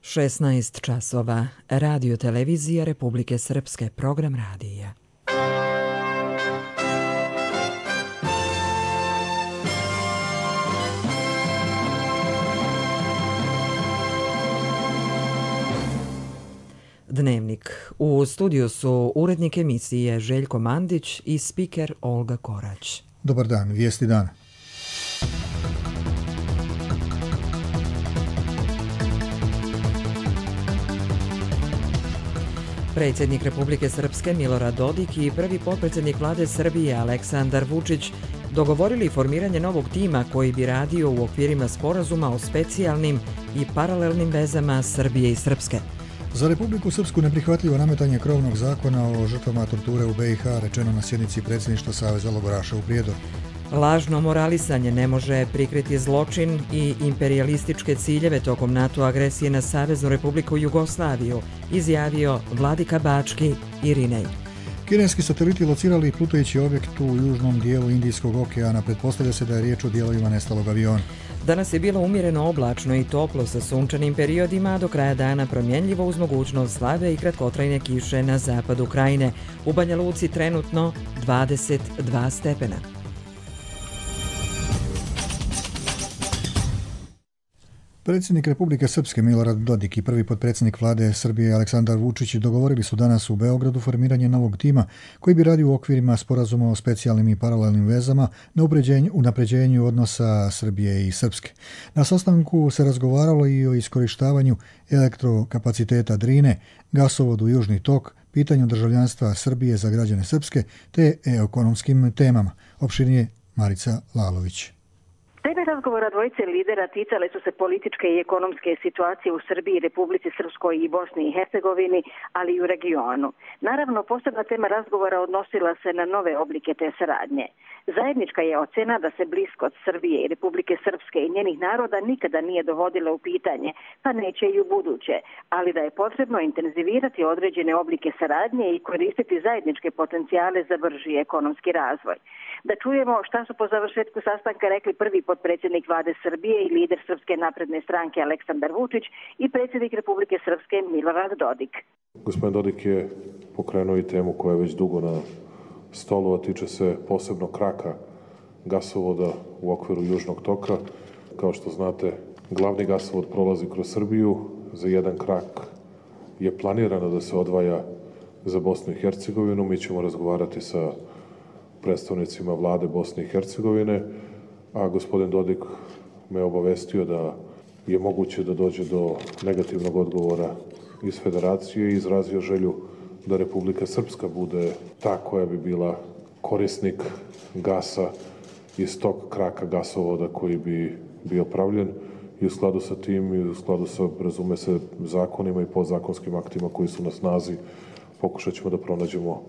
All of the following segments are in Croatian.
16 časova. Radio televizija Republike Srpske. Program radija. Dnevnik. U studiju su urednik emisije Željko Mandić i spiker Olga Korać. Dobar dan, vijesti dana. Predsjednik Republike Srpske Milorad Dodik i prvi potpredsjednik vlade Srbije Aleksandar Vučić dogovorili formiranje novog tima koji bi radio u okvirima sporazuma o specijalnim i paralelnim vezama Srbije i Srpske. Za Republiku Srpsku neprihvatljivo nametanje krovnog zakona o žrtvama torture u BiH rečeno na sjednici predsjedništva Saveza logoraša u Prijedoru. Lažno moralisanje ne može prikriti zločin i imperijalističke ciljeve tokom NATO agresije na Saveznu Republiku Jugoslaviju, izjavio Vladika Bački Irinej. Kineski sateliti locirali plutajući objekt u južnom dijelu Indijskog okeana. Pretpostavlja se da je riječ o dijelovima nestalog aviona. Danas je bilo umjereno oblačno i toplo sa sunčanim periodima, a do kraja dana promjenljivo uz mogućnost slabe i kratkotrajne kiše na zapadu Krajine. U Banja Luci trenutno 22 stepena. Predsjednik Republike Srpske Milorad Dodik i prvi potpredsjednik vlade Srbije Aleksandar Vučić dogovorili su danas u Beogradu formiranje novog tima koji bi radio u okvirima sporazuma o specijalnim i paralelnim vezama na unapređenju odnosa Srbije i Srpske. Na sastanku se razgovaralo i o iskorištavanju elektrokapaciteta Drine, gasovodu Južni tok, pitanju državljanstva Srbije za građane Srpske te ekonomskim temama. Opširnije Marica Lalović. Teme razgovora dvojice lidera ticale su se političke i ekonomske situacije u Srbiji, Republici Srpskoj i Bosni i Hercegovini, ali i u regionu. Naravno, posebna tema razgovora odnosila se na nove oblike te saradnje. Zajednička je ocena da se bliskost Srbije i Republike Srpske i njenih naroda nikada nije dovodila u pitanje, pa neće i u buduće, ali da je potrebno intenzivirati određene oblike saradnje i koristiti zajedničke potencijale za brži ekonomski razvoj. Da čujemo šta su po završetku sastanka rekli prvi potpredsjednik vlade Srbije i lider Srpske napredne stranke Aleksandar Vučić i predsjednik Republike Srpske Milorad Dodik. Gospodin Dodik je pokrenuo i temu koja je već dugo na stolu, a tiče se posebno kraka gasovoda u okviru Južnog toka. Kao što znate, glavni gasovod prolazi kroz Srbiju. Za jedan krak je planirano da se odvaja za Bosnu i Hercegovinu. Mi ćemo razgovarati sa predstavnicima vlade Bosne i Hercegovine, a gospodin Dodik me obavestio da je moguće da dođe do negativnog odgovora iz Federacije i izrazio želju da Republika Srpska bude ta koja bi bila korisnik gasa iz tog kraka gasovoda koji bi bio pravljen i u skladu sa tim i u skladu sa, razume se, zakonima i podzakonskim aktima koji su na snazi pokušat ćemo da pronađemo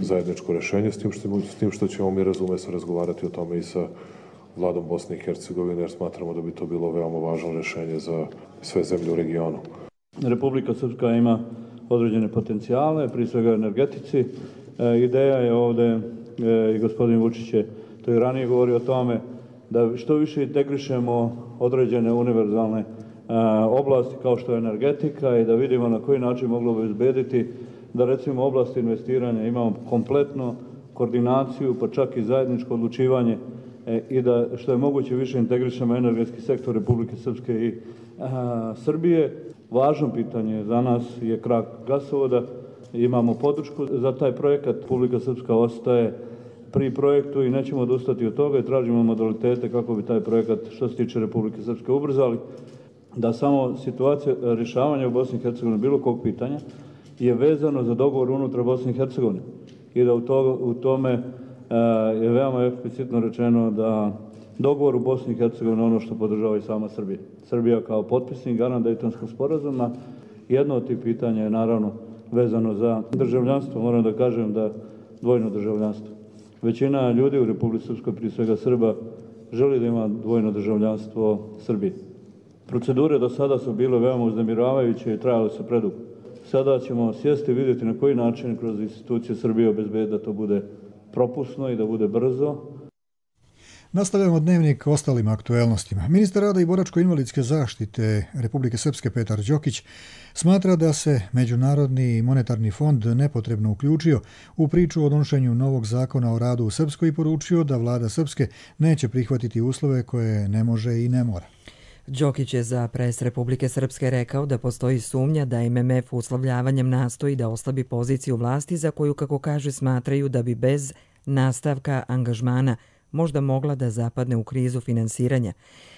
zajedničko rješenje, s tim što ćemo mi, razume se, razgovarati o tome i sa vladom Bosne i Hercegovine, jer smatramo da bi to bilo veoma važno rješenje za sve zemlje u regionu. Republika Srpska ima određene potencijale, prije svega energetici. Ideja je ovdje, i gospodin Vučić je to i ranije govorio o tome, da što više integrišemo određene univerzalne oblasti kao što je energetika i da vidimo na koji način moglo bi izbediti da recimo oblasti investiranja imamo kompletnu koordinaciju, pa čak i zajedničko odlučivanje i da što je moguće više integrišemo energetski sektor Republike Srpske i Srbije. Važno pitanje za nas je krak gasovoda. Imamo podršku za taj projekat. Republika Srpska ostaje pri projektu i nećemo odustati od toga i tražimo modalitete kako bi taj projekat što se tiče Republike Srpske ubrzali. Da samo situacija rješavanja u Bosni i Hercegovini bilo kog pitanja je vezano za dogovor unutar Bosne i Hercegovine i da u tome je veoma eksplicitno rečeno da dogovor u Bosni i Hercegovini ono što podržava i sama Srbija. Srbija kao potpisnik garant Dejtonskog sporazuma. Jedno od tih pitanja je naravno vezano za državljanstvo. Moram da kažem da dvojno državljanstvo. Većina ljudi u Republici Srpskoj, prije svega Srba, želi da ima dvojno državljanstvo Srbije. Procedure do sada su bile veoma uznemiravajuće i trajale su predugo. Sada ćemo sjesti i vidjeti na koji način kroz institucije Srbije obezbediti da to bude propusno i da bude brzo. Nastavljamo dnevnik ostalim aktuelnostima. Ministar rada i boračko-invalidske zaštite Republike Srpske Petar Đokić smatra da se Međunarodni monetarni fond nepotrebno uključio u priču o donošenju novog zakona o radu u Srpskoj i poručio da vlada Srpske neće prihvatiti uslove koje ne može i ne mora. Đokić je za Pres Republike Srpske rekao da postoji sumnja da MMF uslovljavanjem nastoji da oslabi poziciju vlasti za koju, kako kaže, smatraju da bi bez nastavka angažmana možda mogla da zapadne u krizu finansiranja.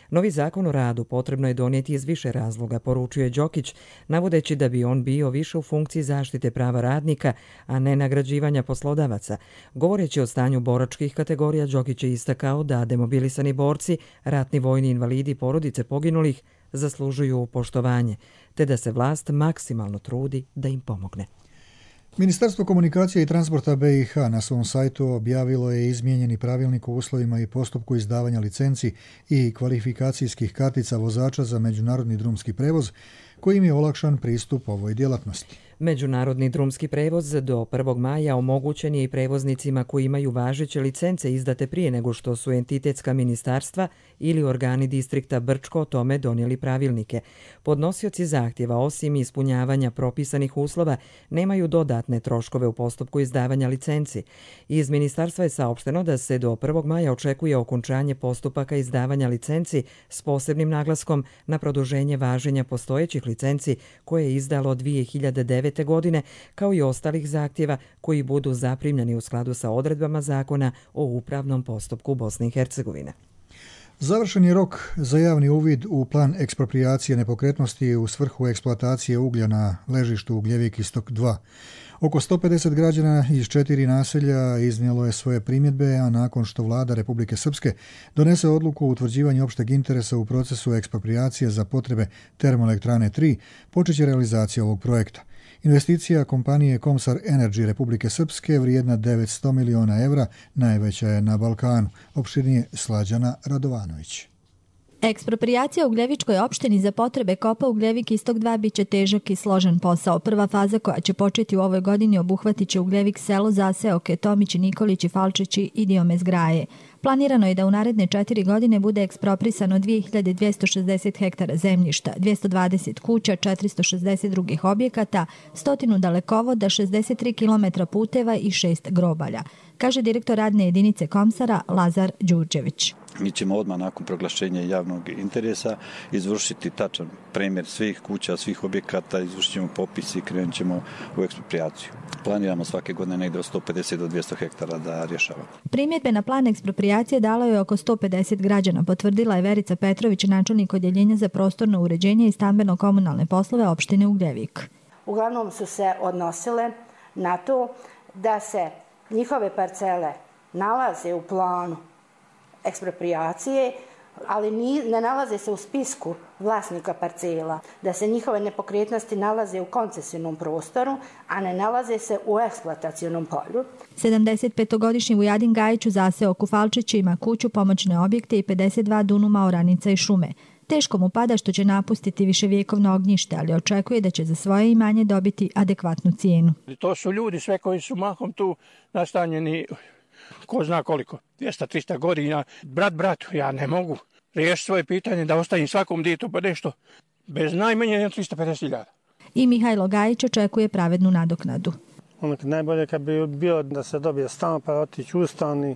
Novi zakon o radu potrebno je donijeti iz više razloga, poručio je Đokić, navodeći da bi on bio više u funkciji zaštite prava radnika, a ne nagrađivanja poslodavaca. Govoreći o stanju boračkih kategorija, Đokić je istakao da demobilisani borci, ratni vojni invalidi i porodice poginulih zaslužuju poštovanje, te da se vlast maksimalno trudi da im pomogne. Ministarstvo komunikacije i transporta BiH na svom sajtu objavilo je izmijenjeni pravilnik o uslovima i postupku izdavanja licenci i kvalifikacijskih kartica vozača za međunarodni drumski prevoz, kojim je olakšan pristup ovoj djelatnosti. Međunarodni drumski prevoz do 1. maja omogućen je i prevoznicima koji imaju važeće licence izdate prije nego što su entitetska ministarstva ili organi distrikta Brčko o tome donijeli pravilnike. Podnosioci zahtjeva, osim ispunjavanja propisanih uslova, nemaju dodatne troškove u postupku izdavanja licenci. Iz ministarstva je saopšteno da se do 1. maja očekuje okončanje postupaka izdavanja licenci s posebnim naglaskom na produženje važenja postojećih licenci koje je izdalo 2009. godine, kao i ostalih zahtjeva koji budu zaprimljeni u skladu sa odredbama zakona o upravnom postupku Bosne i Hercegovine. Završen je rok za javni uvid u plan eksproprijacije nepokretnosti u svrhu eksploatacije uglja na ležištu Ugljevik Istok 2. Oko 150 građana iz 4 naselja iznijelo je svoje primjedbe, a nakon što vlada Republike Srpske donese odluku o utvrđivanju opšteg interesa u procesu eksproprijacije za potrebe Termoelektrane 3, počeće realizacija ovog projekta. Investicija kompanije Komsar Energy Republike Srpske vrijedna 900 miliona evra najveća je na Balkanu. Opširnije Slađana Radovanović. Eksproprijacija u Ugljevičkoj opštini za potrebe kopa Ugljevik Istok 2 biće težak i složen posao. Prva faza koja će početi u ovoj godini obuhvatit će Ugljevik selo, zaseoke Tomići, Nikolići, Falčići i dio Mezgraje. Planirano je da u naredne 4 godine bude eksproprisano 2260 hektara zemljišta, 220 kuća, 460 drugih objekata, 100 dalekovoda, 63 km puteva i 6 grobalja, kaže direktor radne jedinice Komsara Lazar Đurđević. Mi ćemo odmah nakon proglašenja javnog interesa izvršiti tačan premjer svih kuća, svih objekata, izvršit ćemo popis i krenut ćemo u eksproprijaciju. Planiramo svake godine negdje od 150 do 200 hektara da rješavamo. Primjedbe na plan eksproprijacije dalo je oko 150 građana, potvrdila je Verica Petrović, načelnik odjeljenja za prostorno uređenje i stambeno-komunalne poslove opštine Ugljevik. Uglavnom su se odnosile na to da se njihove parcele nalaze u planu eksproprijacije, ali ne nalaze se u spisku vlasnika parcela, da se njihove nepokretnosti nalaze u koncesijnom prostoru, a ne nalaze se u eksploatacionom polju. 75-godišnji Vujadin Gajić u zaseoku Falčići ima kuću, pomoćne objekte i 52 dunuma oranica i šume. Teško mu pada što će napustiti viševjekovno ognjište, ali očekuje da će za svoje imanje dobiti adekvatnu cijenu. To su ljudi sve koji su mahom tu nastanjeni ko zna koliko, 200-300 godina. Brat bratu, ja ne mogu riješiti svoje pitanje da ostavim svakom djetu pa nešto bez najmanje 350.000. I Mihajlo Gajić očekuje pravednu nadoknadu. Najbolje kad bi bio da se dobije stan pa otići u stan i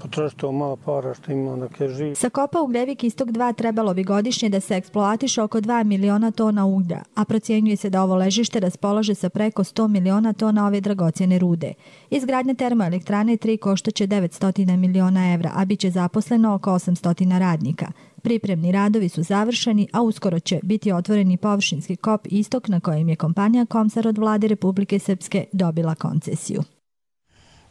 potrošiti to malo para što ima dok je živ. Sa kopa Ugljevik Istok 2 trebalo bi godišnje da se eksploatiše oko 2 miliona tona uglja, a procjenjuje se da ovo ležište raspolaže sa preko 100 miliona tona ove dragocjene rude. Izgradnja termoelektrane 3 koštaće 900 miliona evra, a bit će zaposleno oko 800 radnika. Pripremni radovi su završeni, a uskoro će biti otvoreni površinski kop Istok na kojem je kompanija Komsar od vlade Republike Srpske dobila koncesiju.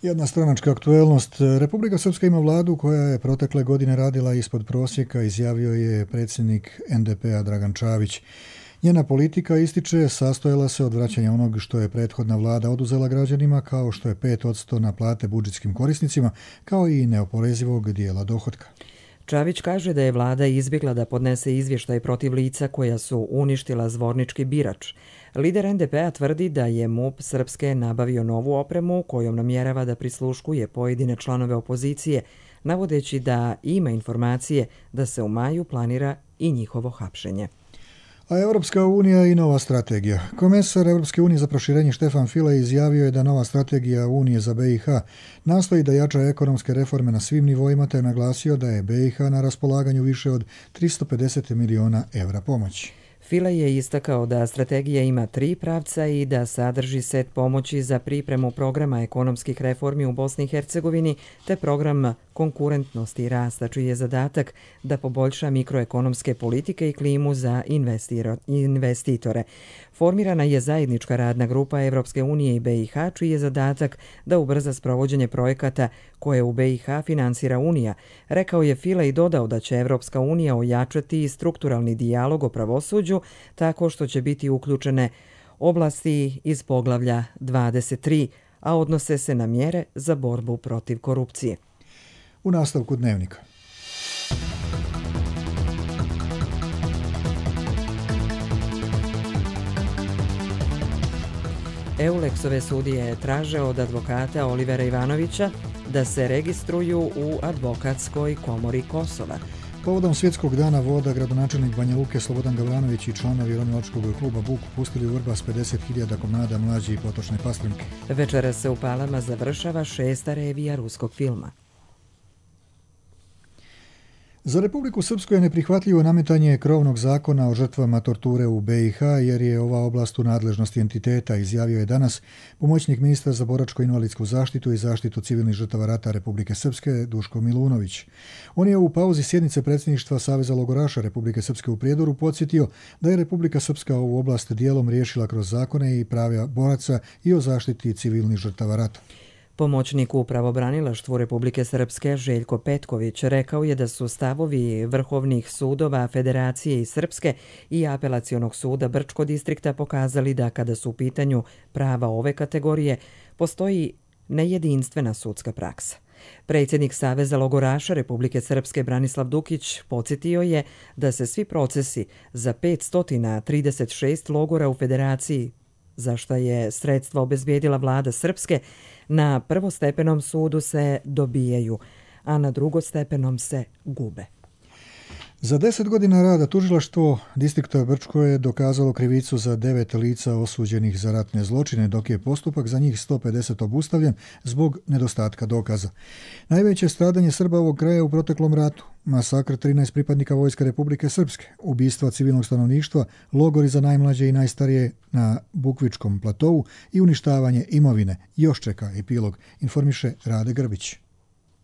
Jedna stranačka aktuelnost. Republika Srpska ima vladu koja je protekle godine radila ispod prosjeka, izjavio je predsjednik NDP-a Dragan Čavić. Njena politika, ističe, sastojala se od vraćanja onog što je prethodna vlada oduzela građanima, kao što je 5% na plate budžetskim korisnicima, kao i neoporezivog dijela dohotka. Čavić kaže da je vlada izbjegla da podnese izvještaj protiv lica koja su uništila zvornički birač. Lider NDP-a tvrdi da je MUP Srpske nabavio novu opremu kojom namjerava da prisluškuje pojedine članove opozicije, navodeći da ima informacije da se u maju planira i njihovo hapšenje. A Europska unija i nova strategija. Komesar Europske unije za proširenje Štefan Füle izjavio je da nova strategija Unije za BiH nastoji da jača ekonomske reforme na svim nivoima, te je naglasio da je BiH na raspolaganju više od 350 miliona evra pomoći. Füle je istakao da strategija ima 3 pravca i da sadrži set pomoći za pripremu programa ekonomskih reformi u Bosni i Hercegovini te program konkurentnosti i rasta, čiji je zadatak da poboljša mikroekonomske politike i klimu za investitore. Formirana je zajednička radna grupa Evropske unije i BiH, čiji je zadatak da ubrza sprovođenje projekata koje u BiH finansira Unija. Rekao je Füle i dodao da će Evropska unija ojačati strukturalni dijalog o pravosuđu tako što će biti uključene oblasti iz poglavlja 23, a odnose se na mjere za borbu protiv korupcije. U nastavku dnevnika. Eulexove sudije traže od advokata Olivera Ivanovića da se registruju u advokatskoj komori Kosova. Povodom Svjetskog dana voda, gradonačelnik Banja Luke Slobodan Gavranović i članovi ronilačkog kluba Buk pustili u Vrbas 50.000 komada mlađe i potočne pastrinke. Večera se u Palama završava 6. revija ruskog filma. Za Republiku Srpsku je neprihvatljivo nametanje krovnog zakona o žrtvama torture u BiH, jer je ova oblast u nadležnosti entiteta, izjavio je danas pomoćnik ministra za boračko-invalidsku zaštitu i zaštitu civilnih žrtava rata Republike Srpske Duško Milunović. On je u pauzi sjednice predsjedništva Saveza logoraša Republike Srpske u Prijedoru podsjetio da je Republika Srpska ovu oblast dijelom riješila kroz zakone i prava boraca i o zaštiti civilnih žrtava rata. Pomoćnik u pravobranilaštvu Republike Srpske Željko Petković rekao je da su stavovi vrhovnih sudova Federacije i Srpske i Apelacionog suda Brčko distrikta pokazali da kada su u pitanju prava ove kategorije postoji nejedinstvena sudska praksa. Predsjednik Saveza logoraša Republike Srpske Branislav Dukić podsjetio je da se svi procesi za 536 logora u Federaciji, za šta je sredstva obezbijedila vlada Srpske, na prvostepenom sudu se dobijaju, a na drugostepenom se gube. Za 10 godina rada tužilaštvo distrikta Brčko je dokazalo krivicu za 9 lica osuđenih za ratne zločine, dok je postupak za njih 150 obustavljen zbog nedostatka dokaza. Najveće stradanje Srba ovog kraja u proteklom ratu, masakr 13 pripadnika Vojske Republike Srpske, ubistva civilnog stanovništva, logori za najmlađe i najstarije na Bukvičkom platovu i uništavanje imovine još čeka epilog, informiše Rade Grbić.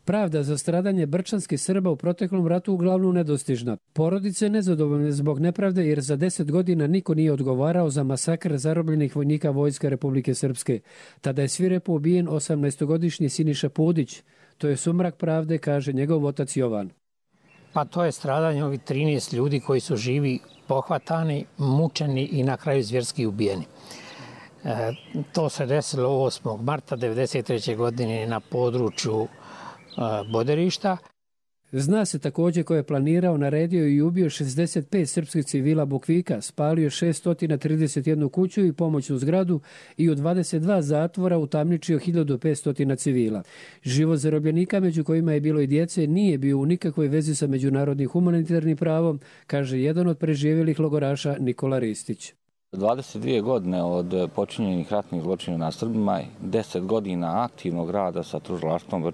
Pravda za stradanje brčanskih Srba u proteklom ratu uglavnom nedostižna. Porodice nezadovoljne zbog nepravde jer za 10 godina niko nije odgovarao za masakr zarobljenih vojnika Vojske Republike Srpske. Tada je svirepo ubijen 18-godišnji Siniša Pudić. To je sumrak pravde, kaže njegov otac Jovan. Pa to je stradanje ovih 13 ljudi koji su živi, pohvatani, mučeni i na kraju zvjerski ubijeni. To se desilo 8. marta 1993. godine na području Boderišta. Zna se također ko je planirao, naredio i ubio 65 srpskih civila Bukvika, spalio 631 kuću i pomoćnu zgradu i u 22 zatvora utamničio 1500 civila. Život zarobljenika, među kojima je bilo i djece, nije bio u nikakvoj vezi sa međunarodnim humanitarnim pravom, kaže jedan od preživjelih logoraša Nikola Ristić. 22 godine od počinjenih ratnih zločina na Srbima, 10 godina aktivnog rada sa tužilaštvom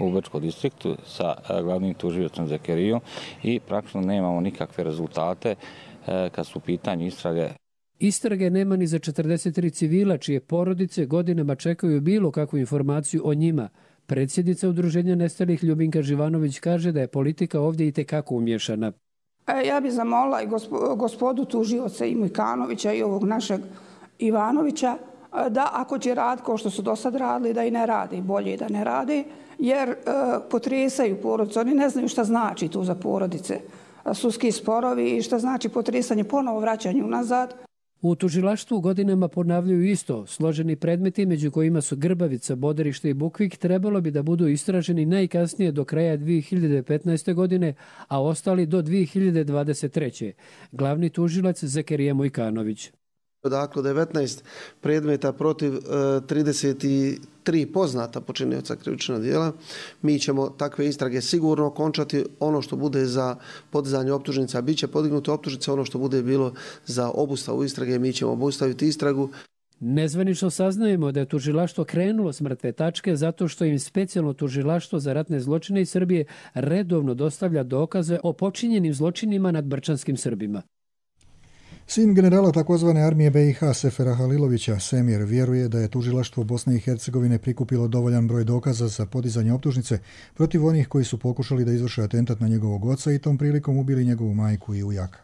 u Brčkom distriktu, sa glavnim tužiocem Zekerijom i praktično nemamo nikakve rezultate kad su u pitanju istrage. Istrage nema ni za 43 civila čije porodice godinama čekaju bilo kakvu informaciju o njima. Predsjednica Udruženja nestalih Ljubinka Živanović kaže da je politika ovdje itekako umješana. Ja bih zamolila i gospodu tužioca i Mujkanovića i ovog našeg Ivanovića da ako će raditi kao što su do sad radili, da i ne radi, bolje da ne radi, jer potresaju porodice. Oni ne znaju šta znači tu za porodice. Sudski sporovi i šta znači potresanje, ponovo vraćanje unazad. U tužilaštvu godinama ponavljaju isto. Složeni predmeti, među kojima su Grbavica, Boderište i Bukvik, trebalo bi da budu istraženi najkasnije do kraja 2015. godine, a ostali do 2023. Glavni tužilac Zekerija Mujkanović. Dakle, 19 predmeta protiv 33 poznata počinioca krivičnog djela. Mi ćemo takve istrage sigurno okončati. Ono što bude za podizanje optužnica, bit će podignute optužnice. Ono što bude bilo za obustavu istrage, mi ćemo obustaviti istragu. Nezvanično saznajemo da je tužilaštvo krenulo s mrtve tačke zato što im specijalno tužilaštvo za ratne zločine iz Srbije redovno dostavlja dokaze o počinjenim zločinima nad brčanskim Srbima. Sin generala takozvane armije BiH Sefera Halilovića, Semir, vjeruje da je tužilaštvo Bosne i Hercegovine prikupilo dovoljan broj dokaza za podizanje optužnice protiv onih koji su pokušali da izvrše atentat na njegovog oca i tom prilikom ubili njegovu majku i ujaka.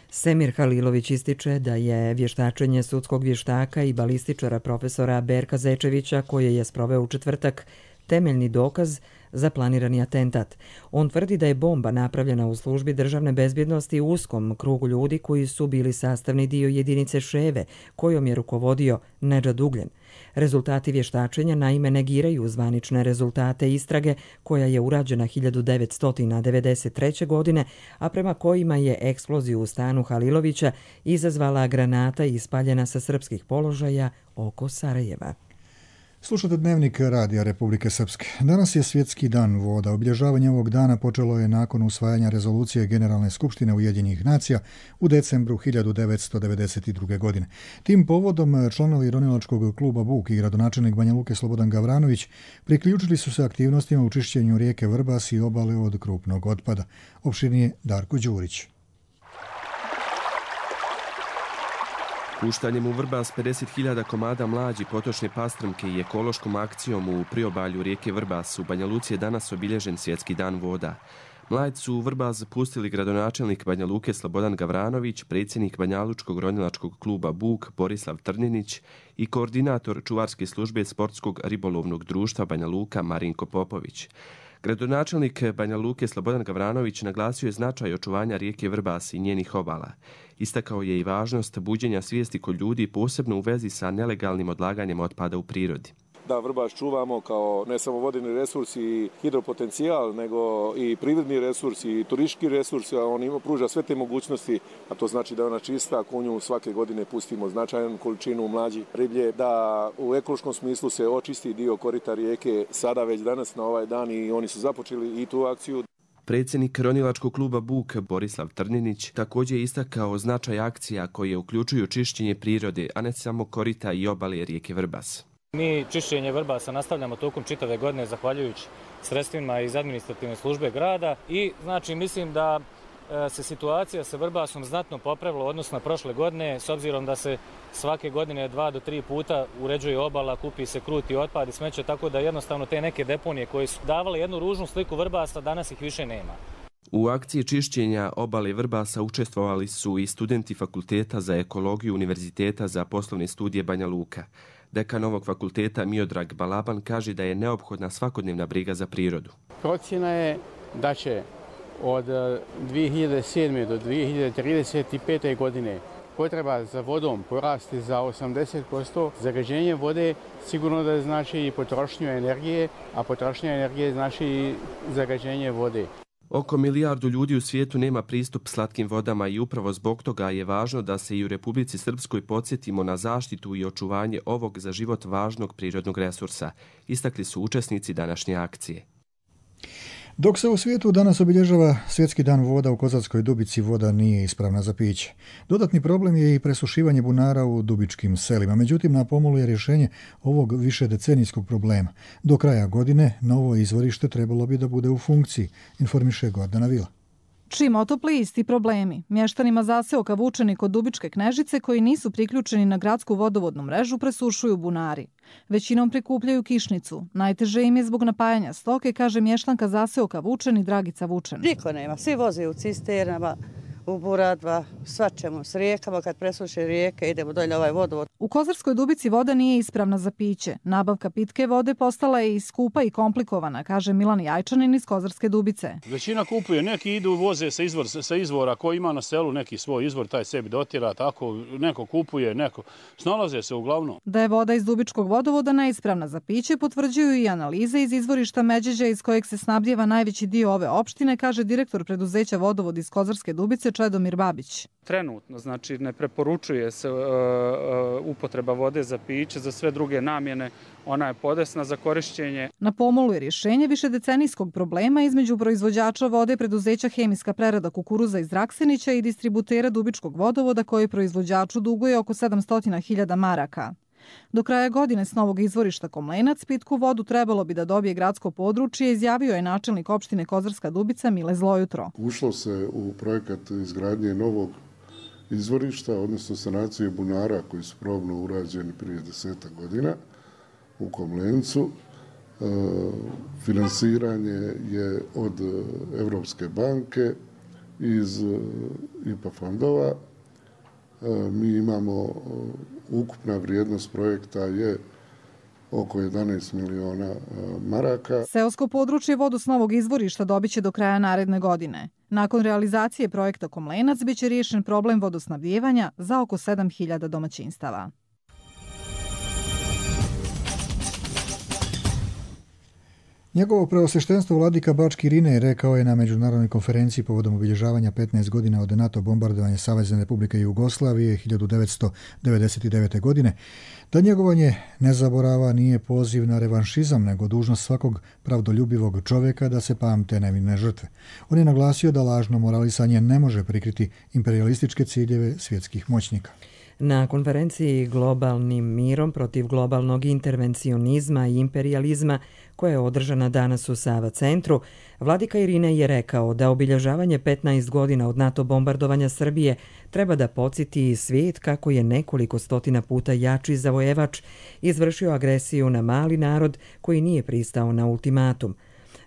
Semir Halilović ističe da je vještačenje sudskog vještaka i balističara profesora Berka Zečevića, koje je sproveo u četvrtak, temeljni dokaz za planirani atentat. On tvrdi da je bomba napravljena u službi državne bezbjednosti u uskom krugu ljudi koji su bili sastavni dio jedinice Ševe, kojom je rukovodio Nedžad Ugljen. Rezultati vještačenja naime negiraju zvanične rezultate istrage koja je urađena 1993. godine, a prema kojima je eksploziju u stanu Halilovića izazvala granata ispaljena sa srpskih položaja oko Sarajeva. Slušate Dnevnik Radija Republike Srpske. Danas je Svjetski dan voda. Obilježavanje ovog dana počelo je nakon usvajanja rezolucije Generalne skupštine Ujedinjenih nacija u decembru 1992. godine. Tim povodom članovi ronilačkog kluba Buk i gradonačelnik Banja Luke Slobodan Gavranović priključili su se aktivnostima u čišćenju rijeke Vrbas i obale od krupnog otpada. Opširnije Darko Đurić. Puštanjem u Vrbas 50.000 komada mlađi potočne pastrmke i ekološkom akcijom u priobalju rijeke Vrbas u Banja Luci je danas obilježen Svjetski dan voda. Mlađi su u Vrbas pustili gradonačelnik Banja Luke Slobodan Gavranović, predsjednik Banjalučkog ronilačkog kluba Buk Borislav Trninić i koordinator čuvarske službe Sportskog ribolovnog društva Banja Luka Marinko Popović. Gradonačelnik Banja Luke Slobodan Gavranović naglasio je značaj očuvanja rijeke Vrbas i njenih obala. Istakao je i važnost buđenja svijesti kod ljudi, posebno u vezi sa nelegalnim odlaganjem otpada u prirodi. Da Vrbas čuvamo kao ne samo vodeni resurs i hidropotencijal, nego i privredni resurs i turistički resurs, a on pruža sve te mogućnosti, a to znači da je ona čista, ako u nju svake godine pustimo značajnu količinu mlađi riblje, da u ekološkom smislu se očisti dio korita rijeke sada već danas na ovaj dan i oni su započeli i tu akciju. Predsjednik ronilačkog kluba Buk Borislav Trninić također je istakao značaj akcija koje uključuju čišćenje prirode, a ne samo korita i obale rijeke Vrbas. Mi čišćenje Vrbasa nastavljamo tokom čitave godine zahvaljujući sredstvima iz administrativne službe grada i znači mislim da se situacija sa Vrbasom znatno popravila odnosno na prošle godine, s obzirom da se svake godine 2 do 3 puta uređuje obala, kupi se kruti otpad i smeće, tako da jednostavno te neke deponije koje su davale jednu ružnu sliku Vrbasa, danas ih više nema. U akciji čišćenja obale Vrbasa učestvovali su i studenti Fakulteta za ekologiju Univerziteta za poslovne studije Banja Luka. Dekan ovog fakulteta Miodrag Balaban kaže da je neophodna svakodnevna briga za prirodu. Procjena je da će od 2007. do 2035. godine potreba za vodom porasti za 80%. Zagađenje vode sigurno da znači i potrošnju energije, a potrošnja energije znači i zagađenje vode. Oko 1 milijardu ljudi u svijetu nema pristup slatkim vodama i upravo zbog toga je važno da se i u Republici Srpskoj podsjetimo na zaštitu i očuvanje ovog za život važnog prirodnog resursa, istakli su učesnici današnje akcije. Dok se u svijetu danas obilježava Svjetski dan voda, u Kozarskoj Dubici voda nije ispravna za piće. Dodatni problem je i presušivanje bunara u dubičkim selima. Međutim, na pomolu je rješenje ovog višedecenijskog problema. Do kraja godine novo izvorište trebalo bi da bude u funkciji, informiše Gordana Vila. Čim otopli isti problemi. Mještanima zaseoka Vučeni kod Dubičke Knežice koji nisu priključeni na gradsku vodovodnu mrežu presušuju bunari. Većinom prikupljaju kišnicu. Najteže im je zbog napajanja stoke, kaže mještanka zaseoka Vučeni Dragica Vučen. Niko nema, svi voze u cisternama, u buradva, svačemu s rijekama, kad presuše rijeke idemo dolje ovaj vodovod. U Kozarskoj Dubici voda nije ispravna za piće. Nabavka pitke vode postala je i skupa i komplikovana, kaže Milan Jajčanin iz Kozarske Dubice. Većina kupuje, neki idu voze sa izvora, ko ima na selu neki svoj izvor, taj sebi dotira, tako neko kupuje, neko snalaze se uglavnom. Da je voda iz Dubičkog vodovoda neispravna za piće potvrđuju i analize iz izvorišta Međeđa iz kojeg se snabdjeva najveći dio ove opštine, kaže direktor preduzeća Vodovod iz Kozarske Dubice Čedomir Babić. Trenutno, znači ne preporučuje se upotreba vode za piće, za sve druge namjene, ona je podesna za korišćenje. Na pomolu je rješenje višedecenijskog problema između proizvođača vode preduzeća Hemijska prerada kukuruza iz Raksenića i distributera Dubičkog vodovoda koji proizvođaču duguje oko 700.000 maraka. Do kraja godine s novog izvorišta Komlenac pitku vodu trebalo bi da dobije gradsko područje, izjavio je načelnik opštine Kozarska Dubica Mile Zlojutro. Ušlo se u projekat izgradnje novog izvorišta, odnosno sanacije bunara koji su probno urađeni prije 10 godina u Komlencu. Finansiranje je od Evropske banke iz IPA fondova. Mi imamo ukupna vrijednost projekta je oko 11 miliona maraka. Seosko područje vodu s novog izvorišta dobiće do kraja naredne godine. Nakon realizacije projekta Komlenac biće riješen problem vodosnabdijevanja za oko 7.000 domaćinstava. Njegovo preosveštenstvo vladika Bački Irinej rekao je na međunarodnoj konferenciji povodom obilježavanja 15 godina od NATO bombardovanja Savezne Republike Jugoslavije 1999. godine, da njegovanje nezaborava nije poziv na revanšizam, nego dužnost svakog pravdoljubivog čovjeka da se pamte nevine žrtve. On je naglasio da lažno moralisanje ne može prikriti imperialističke ciljeve svjetskih moćnika. Na konferenciji Globalnim mirom protiv globalnog intervencionizma i imperializma, koja je održana danas u Sava centru, vladika Irinej je rekao da obilježavanje 15 godina od NATO bombardovanja Srbije treba da podsjeti svijet kako je nekoliko stotina puta jači zavojevač izvršio agresiju na mali narod koji nije pristao na ultimatum.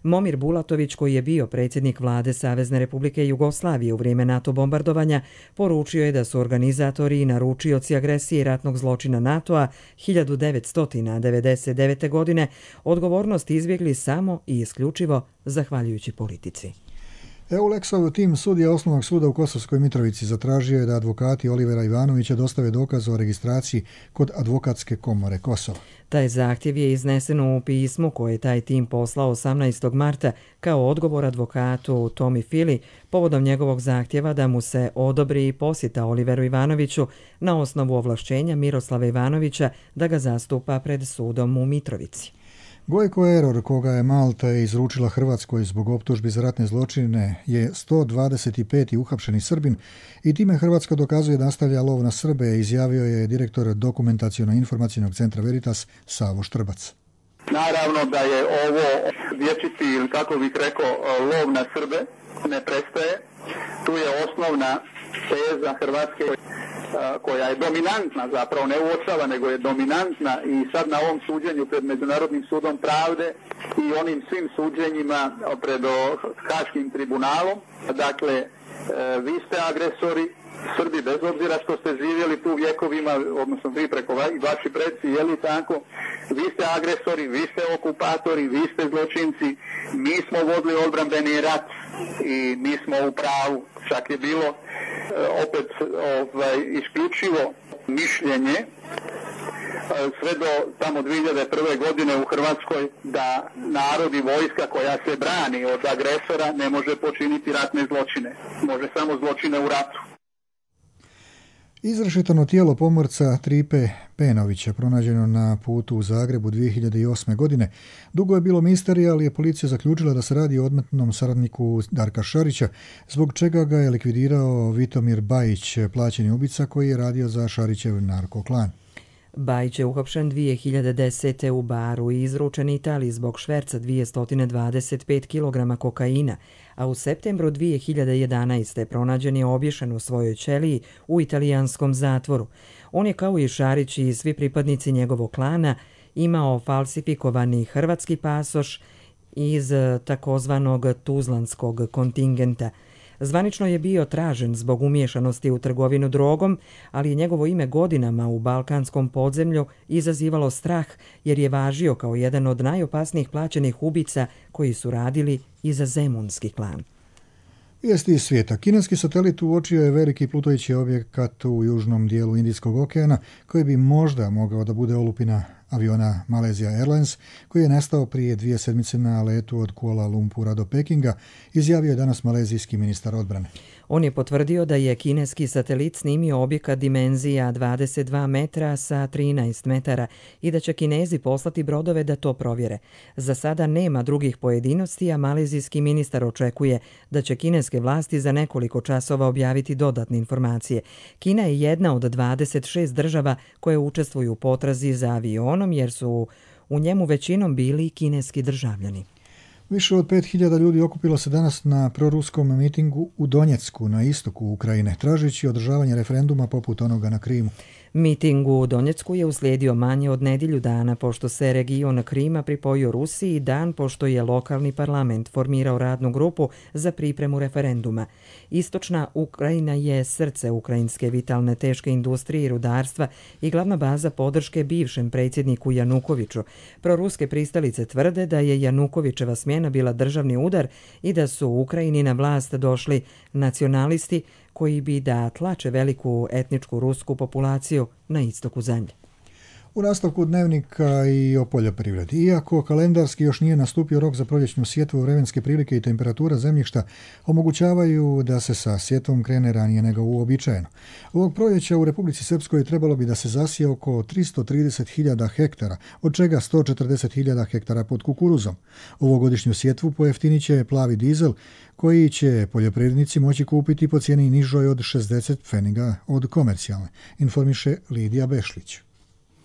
Momir Bulatović, koji je bio predsjednik vlade Savezne Republike Jugoslavije u vrijeme NATO bombardovanja, poručio je da su organizatori i naručioci agresije i ratnog zločina NATO-a 1999. godine odgovornost izbjegli samo i isključivo zahvaljujući politici. EULEX-ov tim sudija Osnovnog suda u Kosovskoj Mitrovici zatražio je da advokati Olivera Ivanovića dostave dokaz o registraciji kod Advokatske komore Kosova. Taj zahtjev je iznesen u pismu koje je taj tim poslao 18. marta kao odgovor advokatu Tomi Fili povodom njegovog zahtjeva da mu se odobri posjeta Oliveru Ivanoviću na osnovu ovlašćenja Miroslava Ivanovića da ga zastupa pred sudom u Mitrovici. Gojko Eror, koga je Malta izručila Hrvatskoj zbog optužbi za ratne zločine, je 125. uhapšeni Srbin i time Hrvatska dokazuje da nastavlja lov na Srbe, izjavio je direktor Dokumentaciono-informacijnog centra Veritas Savo Štrbac. Naravno da je ovo vječiti, ili kako bih rekao, lov na Srbe ne prestaje. Tu je osnovna teza Hrvatske koja je dominantna, zapravo ne uočava, nego je dominantna i sad na ovom suđenju pred Međunarodnim sudom pravde i onim svim suđenjima pred Haškim tribunalom. Dakle, vi ste agresori, Srbi, bez obzira što ste živjeli tu vjekovima, odnosno vi preko vaši predci, je li tako? Vi ste agresori, vi ste okupatori, vi ste zločinci, mi smo vodili odbrambeni rat i mi smo u pravu. Čak je bilo opet isključivo mišljenje sve do tamo 2001. godine u Hrvatskoj da narod i vojska koja se brani od agresora ne može počiniti ratne zločine. Može samo zločine u ratu. Izrešetano tijelo pomorca Tripe Penovića, pronađeno na putu u Zagrebu 2008. godine, dugo je bilo misterija, ali je policija zaključila da se radi o odmetnom saradniku Darka Šarića, zbog čega ga je likvidirao Vitomir Bajić, plaćeni ubica koji je radio za Šarićev narkoklan. Bajić je uhapšen 2010. u Baru i izručen Italiji zbog šverca 225 kg kokaina, a u septembru 2011. pronađen je obješen u svojoj ćeliji u italijanskom zatvoru. On je kao i Šarić i svi pripadnici njegovog klana imao falsifikovani hrvatski pasoš iz takozvanog tuzlanskog kontingenta. Zvanično je bio tražen zbog umiješanosti u trgovinu drogom, ali je njegovo ime godinama u balkanskom podzemlju izazivalo strah jer je važio kao jedan od najopasnijih plaćenih ubica koji su radili i za zemunski klan. Vijesti iz svijeta. Kineski satelit uočio je veliki plutajući objekat u južnom dijelu Indijskog okeana koji bi možda mogao da bude olupina aviona Malaysia Airlines, koji je nestao prije 2 sedmice na letu od Kuala Lumpura do Pekinga, izjavio je danas malezijski ministar odbrane. On je potvrdio da je kineski satelit snimio objekat dimenzija 22 metra sa 13 metara i da će Kinezi poslati brodove da to provjere. Za sada nema drugih pojedinosti, a malezijski ministar očekuje da će kineske vlasti za nekoliko časova objaviti dodatne informacije. Kina je jedna od 26 država koje učestvuju u potrazi za avionom jer su u njemu većinom bili kineski državljani. Više od 5000 ljudi okupilo se danas na proruskom mitingu u Donjecku, na istoku Ukrajine, tražeći održavanje referenduma poput onoga na Krimu. Miting u Donjecku je uslijedio manje od nedjelju dana pošto se region Krima pripojio Rusiji, dan pošto je lokalni parlament formirao radnu grupu za pripremu referenduma. Istočna Ukrajina je srce ukrajinske vitalne teške industrije i rudarstva i glavna baza podrške bivšem predsjedniku Janukoviću. Proruske pristalice tvrde da je Janukovićeva smjena bila državni udar i da su u Ukrajini na vlast došli nacionalisti koji bi da tlače veliku etničku rusku populaciju na istoku zemlje. U nastavku dnevnika i o poljoprivredi. Iako kalendarski još nije nastupio rok za proljećnu sjetvu, vremenske prilike i temperatura zemljišta omogućavaju da se sa sjetvom krene ranije nego uobičajeno. Ovog proljeća u Republici Srpskoj trebalo bi da se zasije oko 330.000 hektara, od čega 140.000 hektara pod kukuruzom. Ovogodišnju sjetvu pojeftinit će plavi dizel, koji će poljoprivrednici moći kupiti po cijeni nižoj od 60 pfeniga od komercijalne, informiše Lidija Bešlić.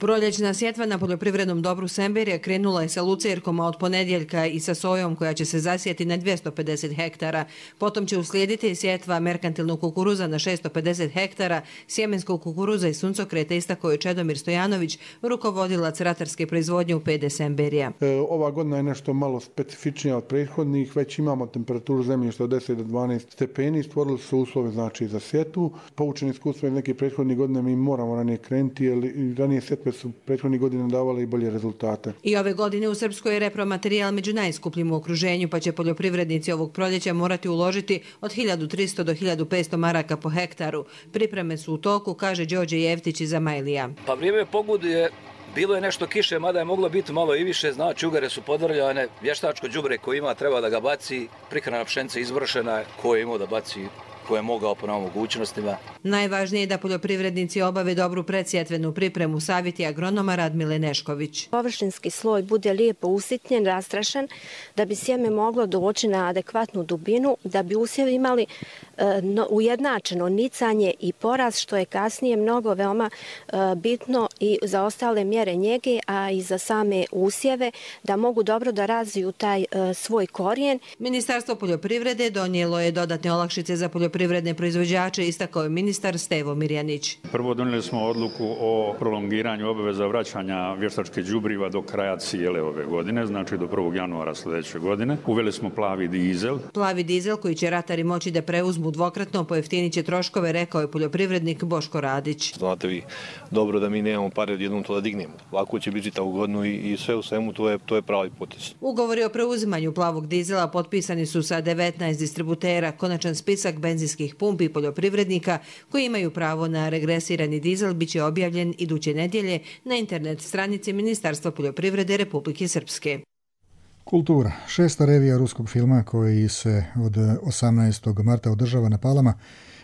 Proljećna sjetva na poljoprivrednom dobru Semberija krenula je sa lucerkom, a od ponedjeljka i sa sojom koja će se zasijeti na 250 hektara. Potom će uslijediti sjetva merkantilnog kukuruza na 650 hektara, sjemenskog kukuruza i suncokreta, istakao je Čedomir Stojanović, rukovodilac ratarske proizvodnje u PD Semberija. Ova godina je nešto malo specifičnija od prethodnih, već imamo temperaturu zemljišta od 10 do 12 stepeni, stvorili su uslove znači za sjetvu. Poučeni iskustva iz nekih prethodnih godina mi moramo ranije krenuti, jer ranije sjetve su prethodnih godina davale i bolje rezultate. I ove godine u Srpskoj je repromaterijal među najskupljim u okruženju, pa će poljoprivrednici ovog proljeća morati uložiti od 1300 do 1500 maraka po hektaru. Pripreme su u toku, kaže Đorđe Jevtić iz Amajlija. Pa vrijeme pogode bilo je nešto kiše, mada je moglo biti malo i više, znači ugare su podvrljane, vještačko đubre koje ima treba da ga baci, prihrana pšenica izvršena, ko je imao da baci, ko je mogao po mogućnostima. Najvažnije je da poljoprivrednici obave dobru predsjetvenu pripremu, savjeti agronoma Radmile Nešković. Površinski sloj bude lijepo usitnjen, rastrašen, da bi sjeme moglo doći na adekvatnu dubinu, da bi usjevi imali ujednačeno nicanje i porast, što je kasnije mnogo veoma bitno i za ostale mjere njege, a i za same usjeve, da mogu dobro da razviju taj svoj korijen. Ministarstvo poljoprivrede donijelo je dodatne olakšice za poljoprivredne proizvođače, istakao je ministar Stevo Mirjanić. Prvo donijeli smo odluku o prolongiranju obaveza vraćanja vještačke đubriva do kraja cijele ove godine, znači do 1. januara sljedeće godine. Uveli smo plavi dizel. Plavi dizel koji će ratari moći da preuzmu dvokratno, pojeftinit će troškove, rekao je poljoprivrednik Boško Radić. Znate vi dobro da mi nemamo pare odjednom to da dignemo. Lako će biti ta ugodno i sve u svemu to je pravi potez. Ugovori o preuzimanju plavog dizela potpisani su sa 19 distributera. Konačan spisak benzinskih pumpi i poljoprivrednika koji imaju pravo na regresirani dizel biće objavljen iduće nedjelje na internet stranici Ministarstva poljoprivrede Republike Srpske. Kultura. 6. revija ruskog filma koji se od 18. marta održava na Palama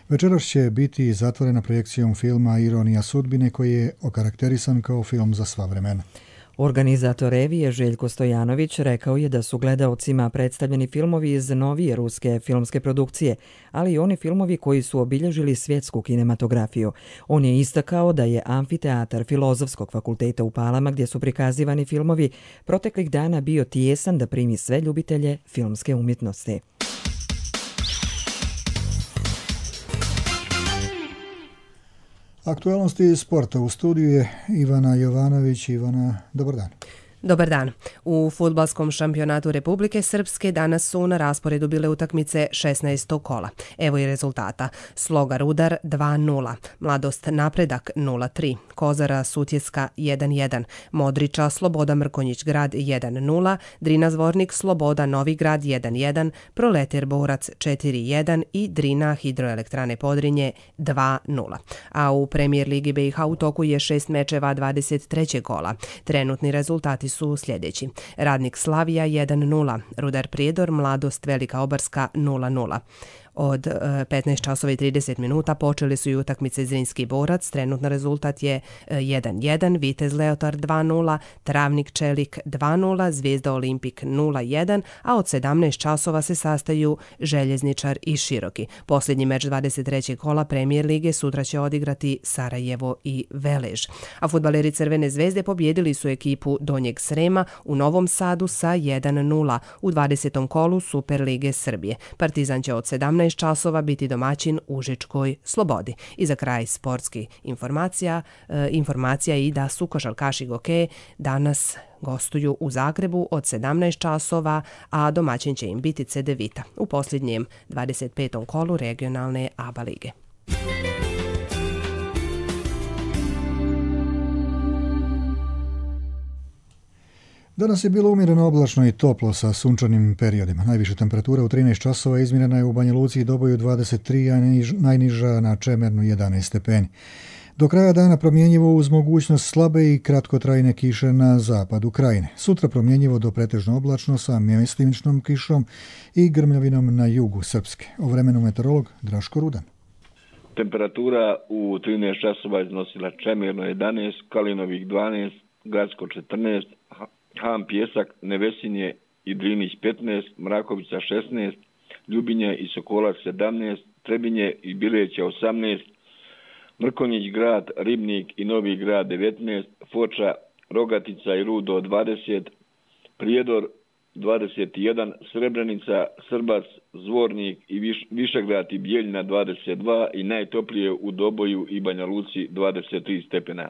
večeras će biti zatvorena projekcijom filma Ironija sudbine koji je okarakterisan kao film za sva vremena. Organizator revije Željko Stojanović rekao je da su gledaocima predstavljeni filmovi iz novije ruske filmske produkcije, ali i oni filmovi koji su obilježili svjetsku kinematografiju. On je istakao da je amfiteatar Filozofskog fakulteta u Palama, gdje su prikazivani filmovi, proteklih dana bio tijesan da primi sve ljubitelje filmske umjetnosti. Aktualnosti sporta u studiju je Ivana Jovanović. Ivana, dobar dan. Dobar dan. U fudbalskom šampionatu Republike Srpske danas su na rasporedu bile utakmice 16. kola. Evo i rezultata. Sloga Rudar 2-0, Mladost Napredak 0-3, Kozara Sutjeska 1-1, Modriča Sloboda Mrkonjić Grad 1-0, Drina Zvornik Sloboda Novi Grad 1-1, Proleter Borac 4-1 i Drina Hidroelektrane Podrinje 2-0. A u Premijer Ligi BiH u toku je 6 mečeva 23. kola. Trenutni rezultati su sljedeći. Radnik Slavija 1-0, Rudar Prijedor Mladost Velika Obarska 0-0. Od 15 časova i 30 minuta počeli su i utakmice Zrinski Borac, trenutno rezultat je 1-1, Vitez Leotard 2-0, Travnik Čelik 2-0, Zvijezda Olimpik 0-1, a od 17 časova se sastaju Željezničar i Široki. Posljednji meč 23. kola Premijer Lige sutra će odigrati Sarajevo i Velež. A fudbaleri Crvene zvezde pobjedili su ekipu Donjeg Srema u Novom Sadu sa 1-0 u 20. kolu Super Lige Srbije. Partizan će od 17 časova biti domaćin Užičkoj Slobodi. I za kraj sportski informacija i da su košarkaši Goke danas gostuju u Zagrebu od 17 časova, a domaćin će im biti Cedevita u posljednjem 25. kolu regionalne ABA lige. Danas je bilo umjereno oblačno i toplo sa sunčanim periodima. Najviša temperatura u 13 časova izmjerena je u Banja Luci i Doboju 23, a najniža na Čemernu 11 stepeni. Do kraja dana promjenjivo uz mogućnost slabe i kratkotrajne kiše na zapadu krajine. Sutra promjenjivo do pretežno oblačno sa mjestimičnom kišom i grmljavinom na jugu Srpske. O vremenu meteorolog Draško Rudan. Temperatura u 13 časova iznosila Čemerno 11, Kalinovih 12, Gradsko 14, Han Pjesak, Nevesinje i Drinić 15, Mrakovica 16, Ljubinje i Sokolac 17, Trebinje i Bileća 18, Mrkonjić Grad, Ribnik i Novi Grad 19, Foča, Rogatica i Rudo 20, Prijedor 21, Srebrenica, Srbac, Zvornik i Višegrad i Bijeljina 22 i najtoplije u Doboju i Banja Luci 23 stepena.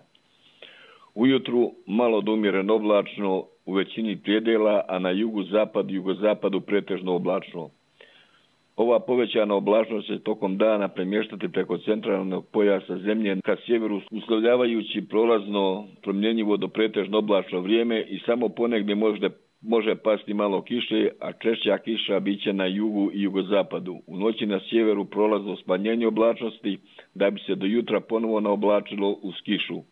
Ujutru malo do umjereno oblačno u većini predjela, a na jugu, zapadu i jugozapadu pretežno oblačno. Ova povećana oblačnost će tokom dana premještati preko centralnog pojasa zemlje ka sjeveru, uslovljavajući prolazno promjenjivo do pretežno oblačno vrijeme i samo ponegdje može pasti malo kiše, a češća kiša biće na jugu i jugozapadu. U noći na sjeveru prolazno smanjenje oblačnosti da bi se do jutra ponovo naoblačilo uz kišu.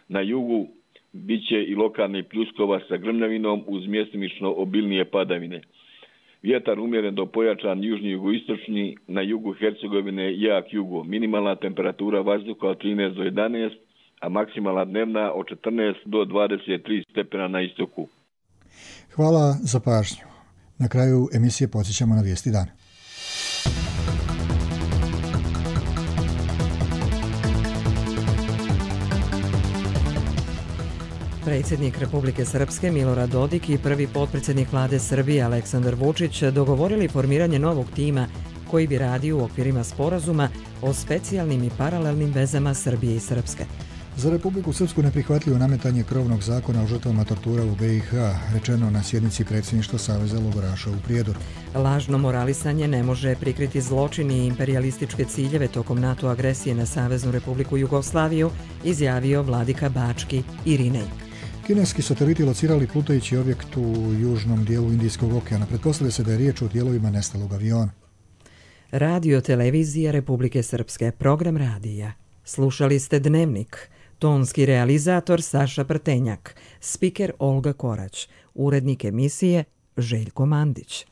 Na jugu bit će i lokalni pljuskova sa grmljavinom uz mjestimično obilnije padavine. Vjetar umjeren do pojačan južni jugoistočni, na jugu Hercegovine jak jugo. Minimalna temperatura vazduha od 13 do 11, a maksimalna dnevna od 14 do 23 stepena na istoku. Hvala za pažnju. Na kraju emisije podsjećamo na vijesti dana. Predsjednik Republike Srpske Milorad Dodik i prvi potpredsjednik vlade Srbije Aleksandar Vučić dogovorili formiranje novog tima koji bi radio u okvirima sporazuma o specijalnim i paralelnim vezama Srbije i Srpske. Za Republiku Srpsku neprihvatljivo nametanje krovnog zakona o žrtvama tortura u BiH, rečeno na sjednici predsjedništva Saveza logoraša u Prijedoru. Lažno moralisanje ne može prikriti zločin i imperialističke ciljeve tokom NATO agresije na Saveznu Republiku Jugoslaviju, izjavio vladika Bački Irinej. Kineski sateliti locirali plutajući objekt u južnom dijelu Indijskog okeana. Pretpostavlja se da je riječ o dijelovima nestalog aviona. Radio Televizija Republike Srpske, program radija. Slušali ste Dnevnik. Tonski realizator Saša Prtenjak, spiker Olga Korać, urednik emisije Željko Mandić.